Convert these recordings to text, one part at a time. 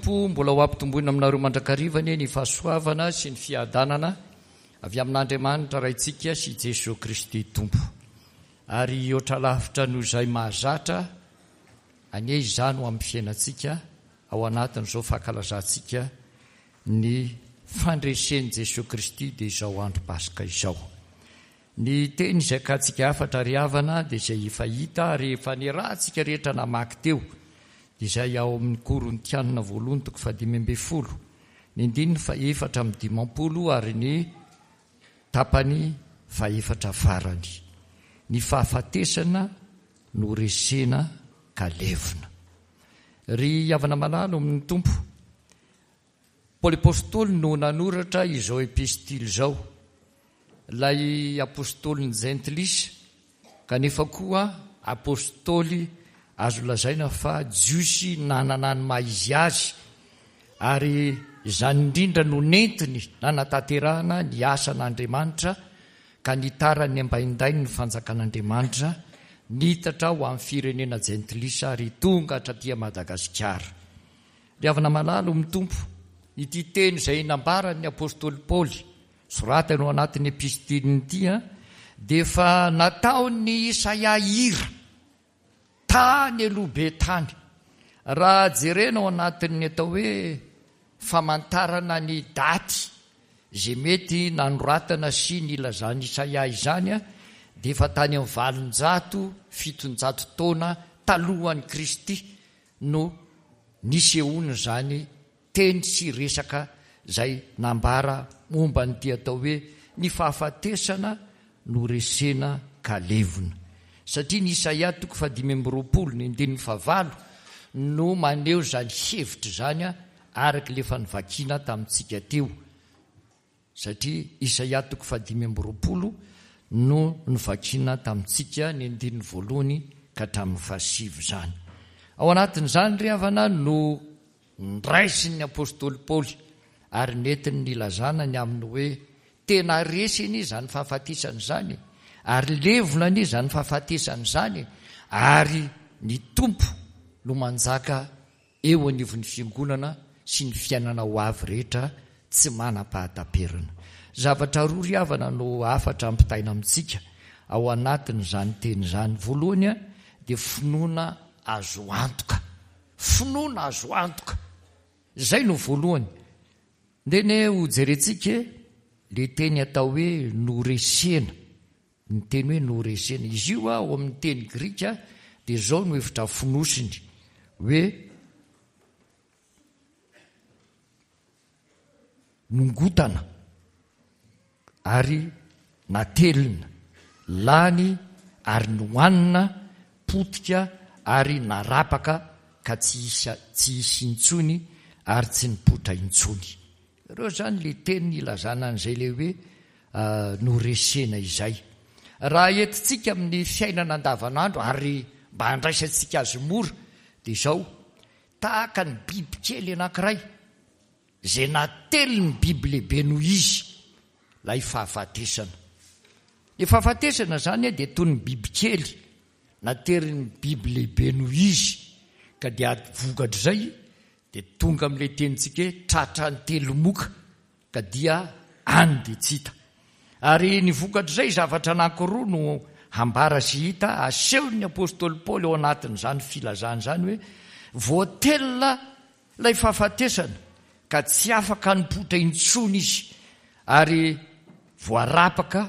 Tompo mbola ho ampitomboina aminareo mandrakariva anie ny fahasoavana sy ny fiadanana avy amin'Andriamanitra Raintsika sy Jesoa Kristy Tompo. Ary hihoatra lavitra noho izay mahazatra anie izany ho amin'ny fiainantsika ao anatin'izao fankalazantsika ny fandresen'i Jesoa Kristy dia izao andro Paska izao. Ny teny izay akantsika hafatra ry havana dia izay efa hita ary efa niarahantsika rehetra namaky teo, dia izay ao amin'ny Korintianina voalohany toko fahadimy ambin'ny folo, ny andininy faha-54 ary ny tapany fahefatra farany. Ny fahafatesana no resena ka levona. Ry havana malala ao amin'ny Tompo, Paoly Apostoly no nanoratra izao epistily izao, ilay apostolin'ny Jentilisa, kanefa koa apostoly azo lazaina fa Jiosy nanana ny maha izy azy, ary izany indrindra no nentiny nanatanterahana ny asan'Andriamanitra ka nitaran'ny ambaindainy ny fanjakan'Andriamanitra, nitatra ho amin'ny firenena jentilisa ary tonga hatraty Madagasikara. Ry havana malala ao amin'ny Tompo, ity teny izay nambaran'ny apostoly Paoly, soratany ao anatin'ny epistiliny ity, dia efa nataon'i Isaia hira tany aloha be tany. Raha jerena ao anatin'ny atao hoe famantarana ny daty izay mety nanoratana sy nilazan'i Isaia izany, dia efa tany amin'ny 800, 700 taona talohan'i Kristy no nisehoan'izany teny sy resaka izay nambara momba an'ity atao hoe ny fahafatesana no resena ka levona. Satria ny Isaia toko fahadimy amby roapolo ny andininy fahavalo no maneho izany hevitra izany araka ilay efa novakiana tamintsika teo. Satria Isaia toko fahadimy amby roapolo no novakiana tamintsika ny andininy voalohany ka hatramin'ny fahasivy izany. Ao anatin'izany ry havana no nraisin'ny apostoly Paoly ary nentiny nilazana ny amin'ny hoe tena resy anie izany fahafatesana izany e, ary levona anie izany fahafatesana izany e, ary ny Tompo no manjaka eo anivon'ny Fiangonana sy ny fiainana ho avy rehetra tsy manam-pahataperana. Zavatra roa ry havana no hafatra ampitaina amintsika ao anatin'izany teny izany. Voalohany dia finoana azo antoka. Finoana azo antoka. Izay no voalohany. Ndeha anie hojerentsika e, le teny atao hoe noresena. Ny teny hoe noresena. Izy io ao amin'ny teny grika dia izao no hevitra fonosiny, hoe nongotana ary natelina, lany ary nohanina, potika ary narapaka ka tsy hisy tsy hisy intsony ary tsy nipoitra intsony. Ireo izany ilay teny ilazana an'izay ilay hoe noresena izay. Raha entintsika amin'ny fiainana andavanandro ary mba handraisantsika azy mora dia izao, tahaka ny bibikely anankiray izay natelin'ny biby lehibe noho izy, ilay fahafatesana. Ny fahafatesana izany dia toy ny bibikely naterin'ny biby lehibe noho izy ka dia vokatr'izay Dia tonga amin'ilay tenintsika hoe tratran'ny telomoka ka dia any dia tsy hita. Ary ny vokatr'izay zavatra anankiroa no hambara sy hita asehon'ny apostoly Paoly ao anatin'izany filazana izany hoe voatelina ilay fahafatesana ka tsy afaka nipoitra intsony izy ary voarapaka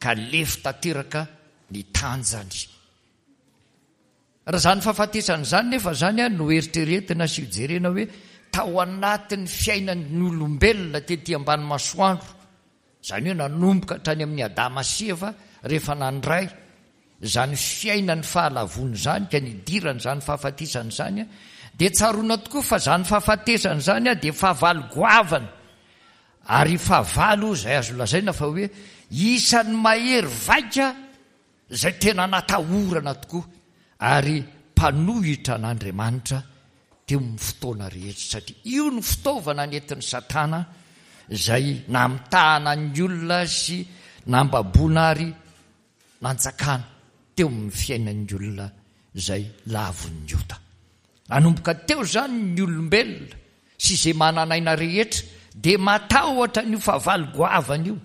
ka lefy tanteraka ny tanjany. Raha izany fahafatesana izany nefa izany no eritreretina sy jerena hoe tao anatin'ny fiainan'ny olombelona tety ambany masoandro, izany hoe nanomboka hatrany amin'i Adama sy Eva rehefa nandray izany fiainan'ny fahalavoana izany ka nidirany izany fahafatesana izany, dia tsaroana tokoa fa izany fahafatesana izany dia fahavalo goavana ary fahavalo izay azo lazaina fa hoe isan'ny mahery vaika izay tena natahorana tokoa ary mpanohitra an'Andriamanitra teo amin'ny fotoana rehetra, satria io no fitaovana nentin'i Satana izay namitahana ny olona sy nambaboana ary nanjakana teo amin'ny fiainan'ny olona izay lavon'ny ota. Nanomboka teo izany ny olombelona. sy izay manan'aina rehetra dia matahotra an'io fahavalo goavana io.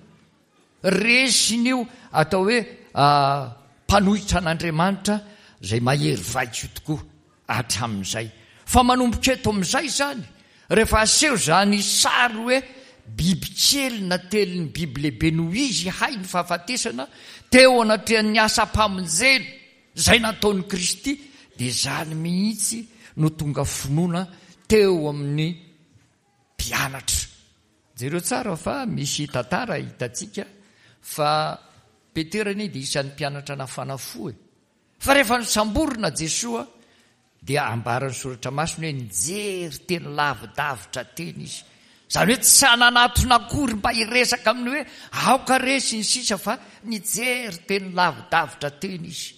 Resin'io atao hoe mpanohitra an'Andriamanitra izay mahery vaika io tokoa hatramin'izay. Fa manomboka eto amin'izay izany, rehefa aseho izany sary hoe bibikely natelin'ny biby lehibe noho izy hay ny fahafatesana teo anatrehan'ny asam-pamonjena izay nataon'i Kristy, dia izany mihitsy no tonga finoana teo amin'ny mpianatra. Jereo tsara fa misy tantara hitantsika fa Petera anie dia isan'ny mpianatra nafana fo e. Fa rehefa nosamborina Jesoa dia ambaran'ny soratra masina hoe nijery teny lavidavitra teny izy. Izany hoe tsy nanatona akory mba hiresaka aminy hoe aoka re sy ny sisa fa nijery teny lavidavitra teny izy.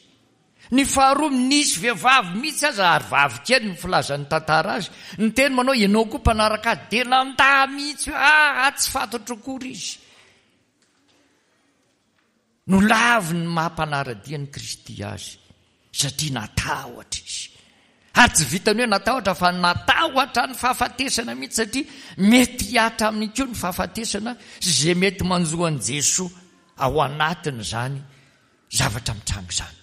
Ny faharoa, nisy vehivavy mihitsy aza, ary vavy kely no filazan'ny tantara azy, niteny manao ianao koa mpanaraka azy, dia nandà mihitsy hoe aa tsy fantatro akory izy. Nolaviny ny maha mpanara-dia an'i Kristy azy, satria natahotra izy. Ary tsy vitan'ny hoe natahotra fa natahotra ny fahafatesana mihitsy satria mety hihatra aminy koa ny fahafatesana sy izay mety manjo an'i Jesoa ao anatin'izany zavatra mitranga izany.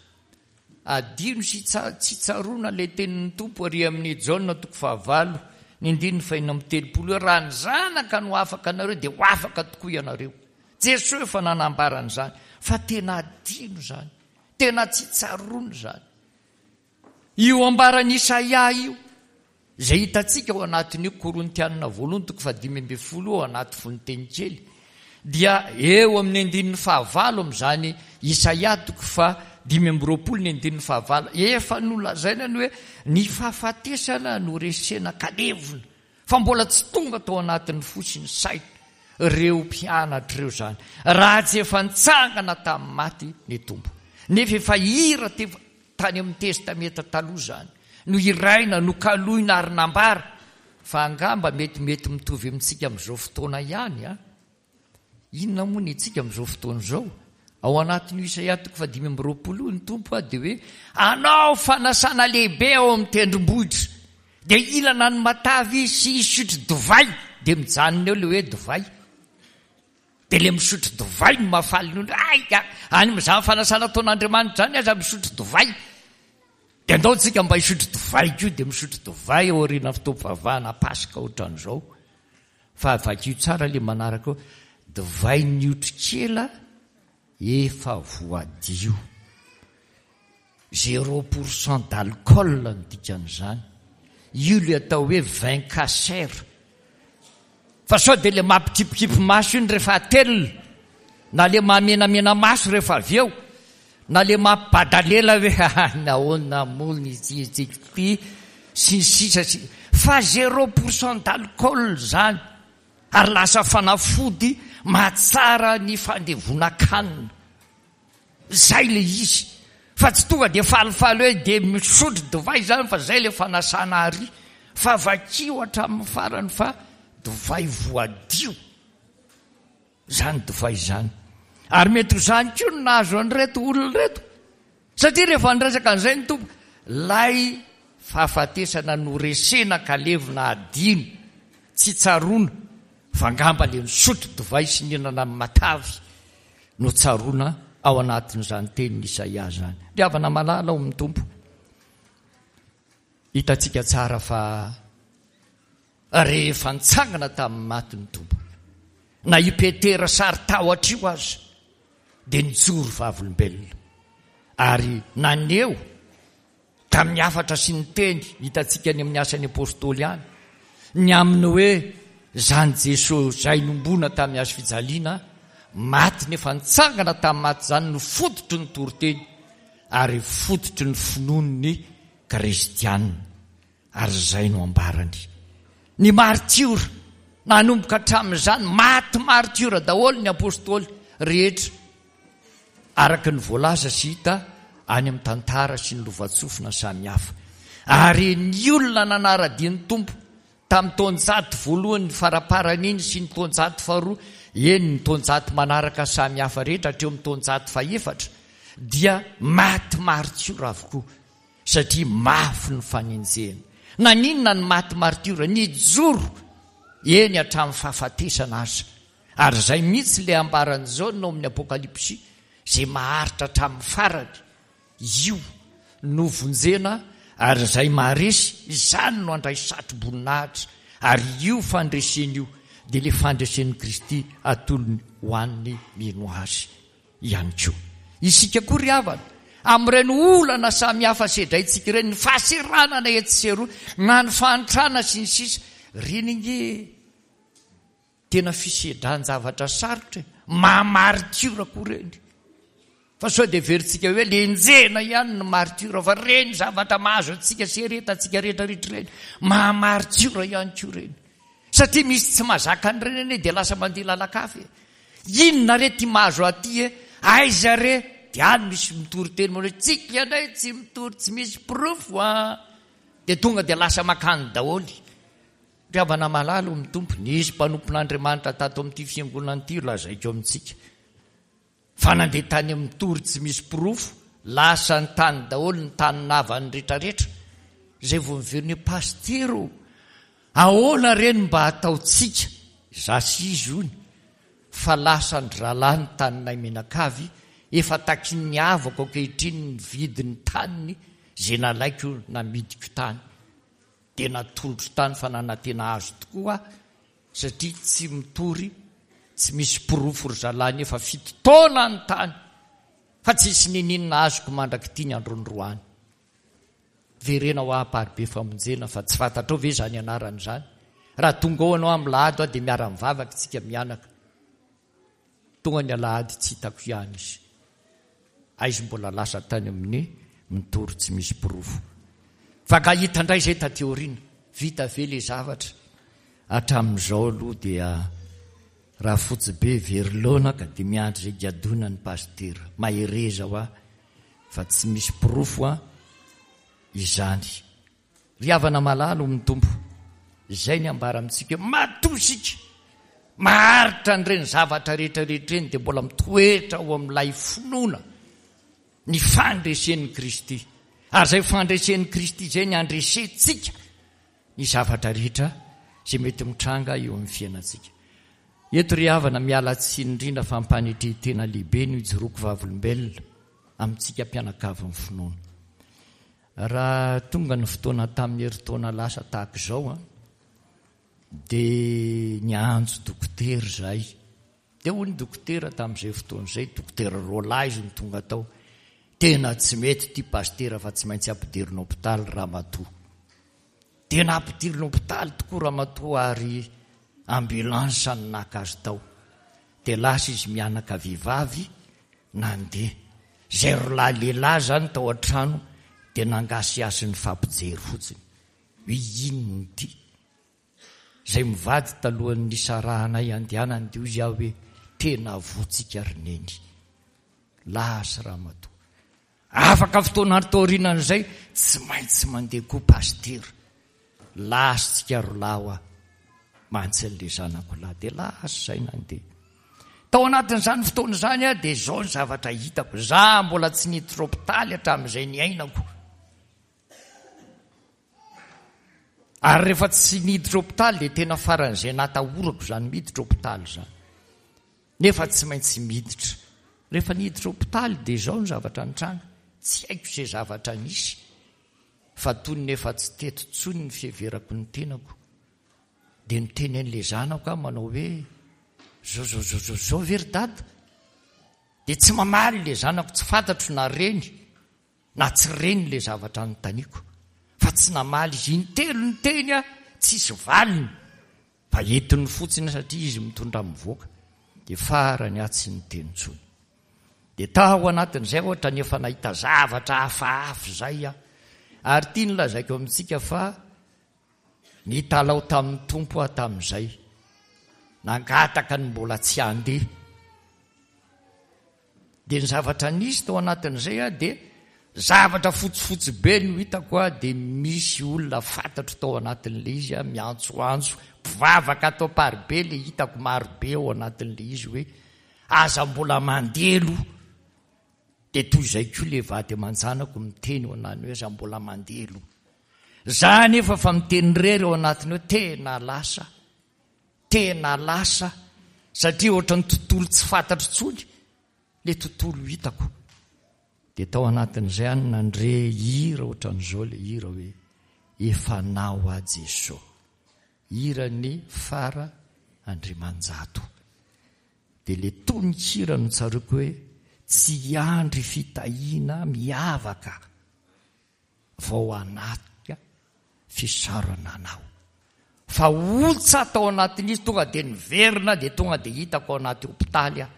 Adino sy tsy tsaroana ilay tenin'ny Tompo ary amin'ny Jaona toko fahavalo, ny andininy fahenina amby telopolo hoe raha ny Zanaka no afaka anareo dia ho afaka tokoa ianareo. Jesoa efa nanambara an'izany fa tena adino izany, tena tsy tsaroana izany. Io ambaran'i Isaia io, izay hitantsika ao anatin'io Korintianina voalohany toko fahadimy ambin'ny folo io ao anaty fononteny kely, dia eo amin'ny andininy fahavalo amin'izany Isaia toko faha-25 ny andininy fahavalo, efa nolazaina ny hoe ny fahafatesana no resena ka levona, fa mbola tsy tonga tao anatin'ny fo sy ny saina ireo mpianatra ireo izany, raha tsy efa nitsangana tamin'ny maty ny Tompo. Nefa efa hira teo Tany amin'ny Testamenta Taloha izany no hiraina, nokaloina ary nambara, fa angamba metimety mitovy amintsika amin'izao fotoana ihany an! Inona moa ny antsika amin'izao fotoana izao? Ao anatin'io Isaia toko faha-25 io ny Tompo dia hoe, Hanao fanasana lehibe ao amin'ny tendrombohitra, dia hihinana ny matavy sy hisotro divay, dia mijanona eo ilay hoe divay. Dia ilay misotro divay no mahafaly ny olona. Hay ka! Any amin'izany fanasana ataon'Andriamanitra izany aza misotro divay. Dia andao tsika mba hisotro divay koa, dia misotro divay aorian'ny fotoam-pivavahana Paska ohatran'izao. Fa vakio tsara ilay manaraka eo, divain'ny otrikela efa voadio. Zéro pour cent d'alcool no dikan'izany. Io ilay atao hoe vin kasher. Fa sao dia ilay mampikipikipy maso iny rehefa atelina, na ilay mahamenamena maso rehefa avy eo, na ilay mampibadalela hoe nahoana moa ny ity ity sy ny sisa sy fa zéro pour cent d'alcool izany ary lasa fanafody mahatsara ny fandevonan-kanina. Zay le izy fa tsy tonga dia falifaly hoe dia misotro divay zany fa zay le fanasana ary fa vakio hatramin'ny farany fa divay voadio zany divay zany ary mety ho zany koa no nahazo an'ireto olona ireto satria rehefa niresaka an'izay ny Tompo lay fahafatesana noresena ka levona adino tsy tsaroana fa angamba le nisotro divay sy nihinana ny matavy no tsaroana ao anatin'izany tenin'i Isaia izany. Ry havana malala ao amin'ny Tompo, hitantsika tsara fa rehefa nitsangana tamin'ny maty ny Tompo, na i Petera saro-tahotra io aza, dia nijoro vavolombelona ary naneho Tamin'ny hafatra sy ny teny hitantsika any amin'ny Asan'ny Apostoly any, ny amin'ny hoe izany Jesoa izay nombona tamin'ny hazo fijaliana, maty nefa nitsangana tamin'ny maty izany no fototry ny toriteny ary fototry ny finoan'ny kristiana. Ary izay no ambarany. Ny martiora, nanomboka hatramin'izany, maty martiora daholo ny apostoly rehetra. Araka ny voalaza sy hita any amin'ny tantara sy ny lovantsofina samihafa. Ary ny olona nanara-dia ny Tompo tamin'ny taonjato voalohany faraparany iny sy ny taonjato faharoa, eny ny taonjato manaraka samihafa rehetra hatreo amin'ny taonjato fahefatra dia maty maritiora avokoa satria mafy ny fanenjehana. Naninona ny maty martiora? Nijoro eny hatramin'ny fahafatesana aza. Ary izay mihitsy ilay ambaran'i Jaona ao amin'ny Apokalypsy, izay maharitra hatramin'ny farany, io no vonjena ary izay maharesy, izany no handray satro-boninahitra, ary io fandresena io dia ilay fandresen'i Kristy atolony ho an'ny mino Azy ihany koa. Isika koa ry havana, amin'ireny olana samihafa sedraintsika ireny, ny fahaseranana etsy sy eroa, na ny fahantrana sy ny sisa, ireny ange Tena fisedran-javatra sarotra e! Maha martiora koa ireny. Fa sao dia heverintsika hoe le enjehina ihany ny martiora fa ireny zavatra mahazo antsika sy eretantsika rehetra rehetra ireny, maha martiora ihany koa ireny. Satria misy tsy mahazaka an'ireny anie dia lasa mandeha lalan-kafa e. Inona re ty mahazo aty e? Aiza re? Dia any misy mitory teny manao hoe tsika indray tsy mitory tsy misy porofo an! Dia tonga dia lasa makany daholo. Ry havana malala ao amin'ny Tompo, nisy mpanompon'Andriamanitra tato amin'ity fiangonana ity lazaiko amintsika fa nandeha tany amin'ny tory tsy misy porofo, lasa ny tany daholo ny tanin'havany retraretra, izay vao miverina hoe pasitera ô, ahoana re ny mba hataontsika, izaho sy izy hono, fa lasan-dry zalahy ny taninay mianakavy, efa takin'ny havako ankehitriny ny vidin'ny taniny izay nalaiko namidiko tany. Dia natolotro tany fa nanantena azy tokoa aho satria tsy mitory tsy misy porofo ry zalahy nefa fito taona ny tany fa tsisy nininona azoko mandrak'ity ny androndroany. Verena ho aho Amparibe Famonjena fa tsy fantatrao ve izany anarana izany? Raha tonga ao ianao amin'ny lahady aho dia miara-mivavaka isika mianaka. Tonga ny alahady tsy hitako ihany izy. Aiza mbola lasa tany amin'ny mitory tsy misy porofo. Fa nga hita indray izay taty aoriana. Vita ve le zavatra? Hatramin'izao aloha dia raha fotsy be very laona ka dia miandry izay gadona ny pasitera. Mahereza hoa fa tsy misy porofo an izany. Ry havana malala ao amin'ny Tompo, izay ny ambara amintsika hoe matoa isika maharitra an'ireny zavatra rehetra rehetra ireny dia mbola mitoetra ao amin'ilay finoana ny fandresen'i Kristy. Ary izay fandresen'i Kristy izay ny handresentsika ny zavatra rehetra izay mety mitranga eo amin'ny fiainantsika. Eto ry havana miala tsiny indrindra fa ampanetren-tena lehibe no ijoroako vavolombelona amintsika mpianakavin'ny finoana. Raha tonga ny fotoana tamin'ny herintaona lasa tahaka izao an, dia niantso dokotera izahay. Dia hoy ny dokotera tamin'izay fotoana izay, dokotera roalahy izy no tonga tao, tena tsy mety ity pasitera fa tsy maintsy ampidirina hopitaly ramatoa. Dia nampidirina hopitaly tokoa ramatoa ary ambulance no naka azy tao. Dia lasa izy mianaka vehivavy nandeha. Izay rolahy lehilahy izany tao an-trano dia nangasihasy nifampijery fotsiny hoe inona ity. Izay mivady talohan'ny nisarahanay andehanany dia hoy aho hoe tena voa-tsika ry neny. Lasa ramatoa. Afaka fotoana taorianan'izay, tsy maintsy mandeha koa pasitera. Lasintsika rolahy hoa mantsy an'ilay zanako lahy. Dia lasa izay nandeha. Tao anatin'izany fotoana izany aho dia izao ny zavatra hitako. Za mbola tsy niditra hopitaly hatramin'izay niainako. Ary rehefa tsy niditra hopitaly dia tena faran'izay natahorako izany miditra hopitaly izany. Nefa tsy maintsy miditra. Rehefa niditra hopitaly dia izao ny zavatra nitranga, tsy haiko izay zavatra nisy fa toy ny efa tsy teto intsony ny fiheverako ny tenako. Dia niteny an'ilay zanako aho manao hoe, zao zao zao zao zao ve ry dada? Dia tsy mamaly ilay zanako, tsy fantatro na reny na tsy reny ilay zavatra anontaniako fa tsy namaly izy. Intelo niteny aho, tsisy valiny. Fa entiny fotsiny satria izy mitondra mivoaka dia farany aho tsy niteny intsony. Dia tao anatin'izay ohatra ny efa nahita zavatra hafahafa izay aho. Ary ity no lazaiko amintsika fa nitalaho tamin'ny Tompo aho tamin'izay. Nangataka ny mbola tsy handeha. Dia ny zavatra nisy tao anatin'izay a dia zavatra fotsifotsy be no hitako a dia misy olona fantatro tao anatin'ilay izy a miantsoantso mpivavaka ato Amparibe le hitako marobe ao anatin'ilay izy hoe aza mbola mandeha aloha dia toy izay koa le vady aman-janako miteny ho anany hoe aza mbola mandeha aloha. Za anefa fa miteny irery ao anatiny hoe tena lasa, tena lasa satria ohatran'ny tontolo tsy fantatro intsony le tontolo hitako. Dia tao anatin'izay aho no nandre hira ohatran'izao le hira hoe Efa anao aho Jeso. Hiran'i Fara Andriamanjato. Dia le tononkira no tsaroako hoe tsy hiandry fitahiana miavaka vao hanatrika fisaorana anao. Fa ontsa tao anatin'izy tonga dia niverina dia tonga dia hitako ao anaty hopitaly aho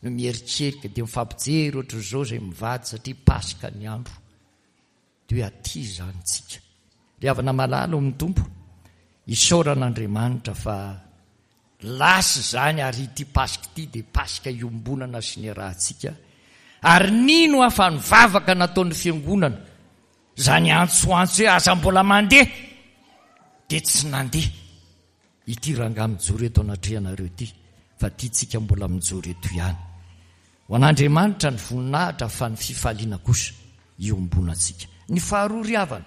no mieritreritra dia mifampijery ohatr'izao izay mivady satria paska ny andro. Dia hoe aty izany tsika. Ry havana malala ao amin'ny Tompo, isaorana Andriamanitra fa lasa izany ary ity Paska ity dia Paska iombonana sy niarahantsika. Ary nino aho fa ny vavaka nataon'ny Fiangonana, izany antsoantso hoe aza mbola mandeha, dia tsy nandeha ity rangahy mijoro eto anatrehanareo ity, fa ity tsika mbola mijoro eto ihany. Ho an'Andriamanitra ny voninahitra fa ny fifaliana kosa iombonantsika. Ny faharoa ry havana,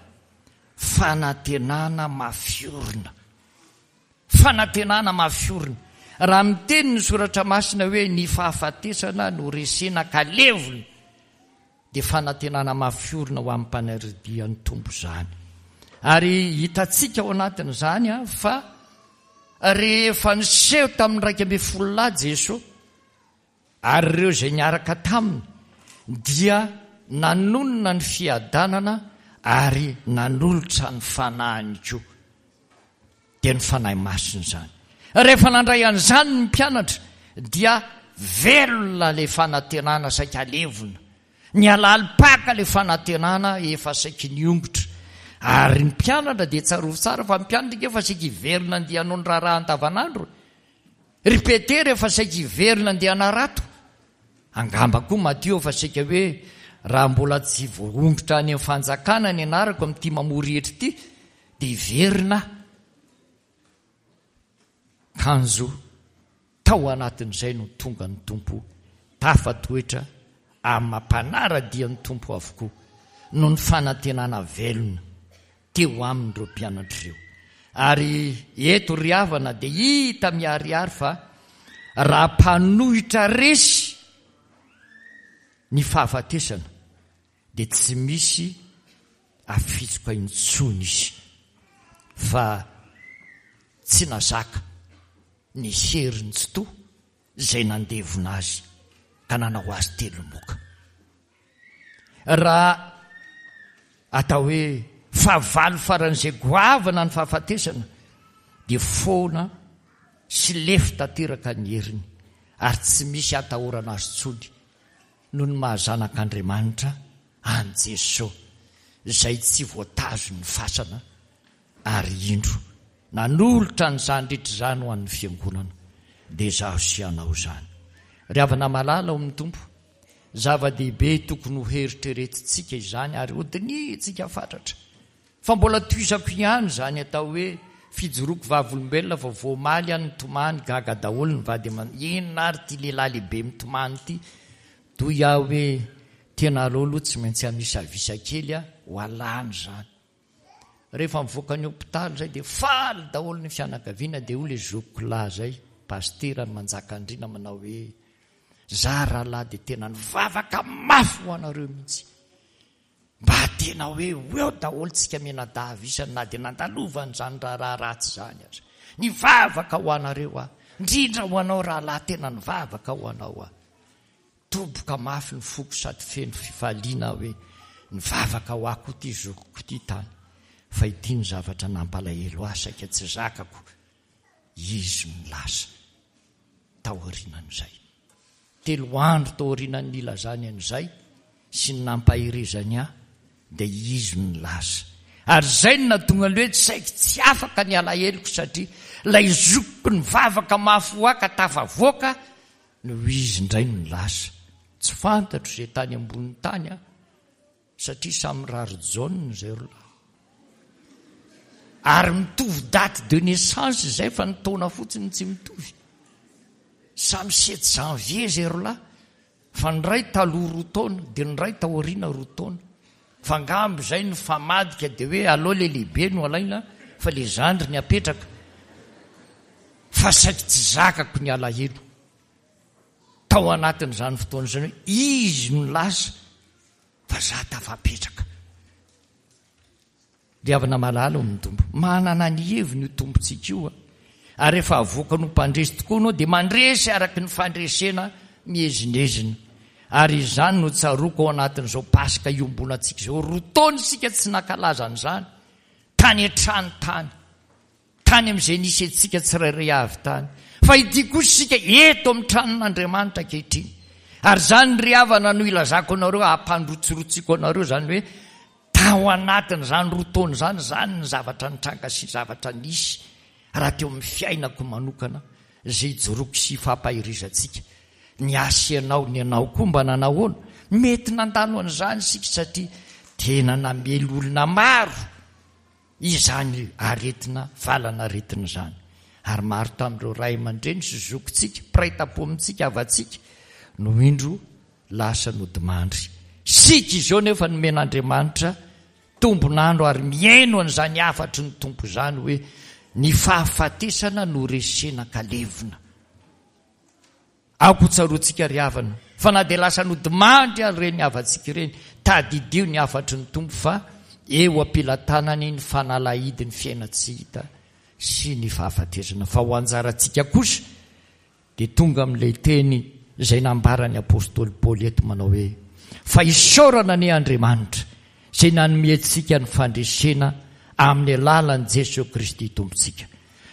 fanantenana mafy orina. Fanantenana mafy orina. Raha miteny ny soratra masina hoe ny fahafatesana no resena ka levona, dia fanantenana mafy orina ho amin'ny mpanara-dia ny Tompo izany. Ary hitantsika ao anatin'izany fa rehefa niseho tamin'ny 11 lahy Jesoa, Ary ireo izay niaraka taminy dia nanonona ny fiadanana ary nanolotra ny fanahiny koa, dia ny Fanahy Masina izany. Rehefa nandray an'izany ny mpianatra dia velona ilay fanantenana saika levona, nihalalim-paka ilay fanantenana efa saiky niongotra. Ary ny mpianatra dia tsarovy tsara fa ny mpianatra ange efa saiky hiverina andeha hanao ny raharaha andavanandro e. Ry Petera efa saika hiverina andeha hanarato. Angamba koa Matio efa saika hoe raha mbola tsy voaongotra any amin'ny fanjakana ny anarako amin'ity mamory hetra ity dia hiverina aho. Kanjo tao anatin'izay no tonga ny Tompo tafatoetra amin'ny maha mpanara-dia ny Tompo avokoa noho ny fanantenana velona teo aminy ireo mpianatra ireo. Ary eto ry havana dia hita miharihary fa raha mpanohitra resy ny fahafatesana dia tsy misy afitsoka intsony izy fa tsy nazaka ny herin'ny Tsitoha izay nandevona azy ka nanao azy telomoka. Raha atao hoe fahavalo faran'izay goavana ny fahafatesana dia foana sy lefy tanteraka ny heriny ary tsy misy atahorana azy intsony noho ny maha zanak'Andriamanitra an'i Jesoa izay tsy voatazon'ny fasana ary indro nanolotra an'izany rehetra izany ho an'ny fiangonana dia izaho sy ianao izany. Ry havana malala ao amin'ny Tompo, Zava-dehibe tokony ho heritreretintsika izany ary hodinihintsika fatratra. Fa mbola tohizako ihany izany atao hoe fijoroako vavolombelona fa vao omaly aho nitomany, gaga daholo ny vady aman, inona ary ity lehilahy lehibe mitomany ity? Toy aho hoe tena aleo aloha tsy maintsy hamisavisa kely aho ho alana izany. Rehefa mivoaka ny hopitaly izay dia faly daholo ny fianakaviana dia hoy ilay zokiko lahy izay, pasitera any Manjakandriana manao hoe za rahalahy dia tena nivavaka mafy ho anareo mihitsy. Mba tena hoe ho eo daholo tsika mianadahy isany na dia nandalovan'izany raharaha ratsy izany aza. Nivavaka ho anareo aho, indrindra ho anao rahalahy tena nivavaka ho anao aho. Doboka mafy ny foko sady feno fifaliana aho hoe nivavaka ho ahy koa ity zokiko ity tany fa ity no zavatra nampalahelo ahy saika tsy zakako izy no lasa taorianan'izay. Telo andro taorianan'ny nilazany an'izay sy ny nampaherezany ahy dia izy no lasa. Ary izay no nahatonga ny hoe saiky tsy afaka ny alaheloko satria ilay zokiko nivavaka mafy ho ahy ka tafavoaka Noho izy indray no lasa. Tsy fantatro izay tany ambony tany an, satria samy rarijaona izay ry lahy. Ary mitovy date de naissance izay fa ny taona fotsiny no tsy mitovy. Samy sept janvier izay ry lahy, fa ny iray taloha roa taona, dia ny iray taoriana roa taona. Fa angamba izay nifamadika dia hoe aleo le lehibe no alaina fa le zandriny apetraka. Fa saiky tsy zakako ny alahelo tao anatin'izany fotoana izany hoe izy no lasa fa za tafapetraka. Ry havana malala ao amin'ny Tompo, manana ny heviny io Tompontsika io a! Ary rehefa avoakany ho mpandresy tokoa ianao dia mandresy araka ny fandresena miezinezina. Ary izany no tsaroako ao anatin'izao Paska iombonantsika izao. Roa taona isika tsy nankalaza an'izany, tany an-trano tany. Tany amin'izay nisy antsika tsirairay avy tany. Fa ity kosa isika eto amin'ny tranon'Andriamanitra ankehitriny. Ary izany ry havana no ilazako anareo, hampandrotsirotsiako anareo izany hoe tao anatin'izany roa taona izany, izany ny zavatra nitranga sy zavatra nisy raha teo amin'ny fiainako manokana izay ijoroako sy ifampaherezantsika. Ny ahy sy ianao, ny anao koa mba nanahoana? Mety nandalo an'izany isika satria tena namely olona maro. Izany aretina valan'aretina izany. Ary maro tamin'ireo ray aman-dreny sy zokintsika, mpiray tampo amintsika, havantsika, no indro lasa nodimandry. Isika izao nefa nomen'Andriamanitra tombon'andro ary mihaino an'izany hafatry ny Tompo izany hoe ny fahafatesana no resena ka levona. Aoka ho tsaroantsika ry havana, fa na dia lasa nodimandry ary ireny havantsika ireny, tadidio ny hafatry ny Tompo fa eo am-pelatanany ny fanalahidin'ny fiainan-tsy hita sy ny fahafatesana. Fa ho anjarantsika kosa dia tonga amin'ilay teny izay nambaran'ny apostoly Paoly eto manao hoe, Fa isaorana anie Andriamanitra izay nanome antsika ny fandresena amin'ny alalan'i Jesoa Kristy Tompontsika.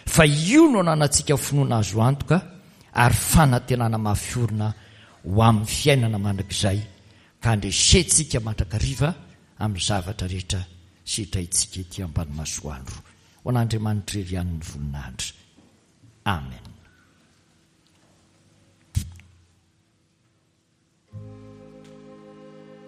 Fa io no ananantsika finoana azo antoka ary fanantenana mafy orina ho amin'ny fiainana mandrakizay, ka handresentsika mandrakariva amin'ny zavatra rehetra sedraintsika ety ambany masoandro. Ho an'Andriamanitra irery ihany ny voninahitra. Amen.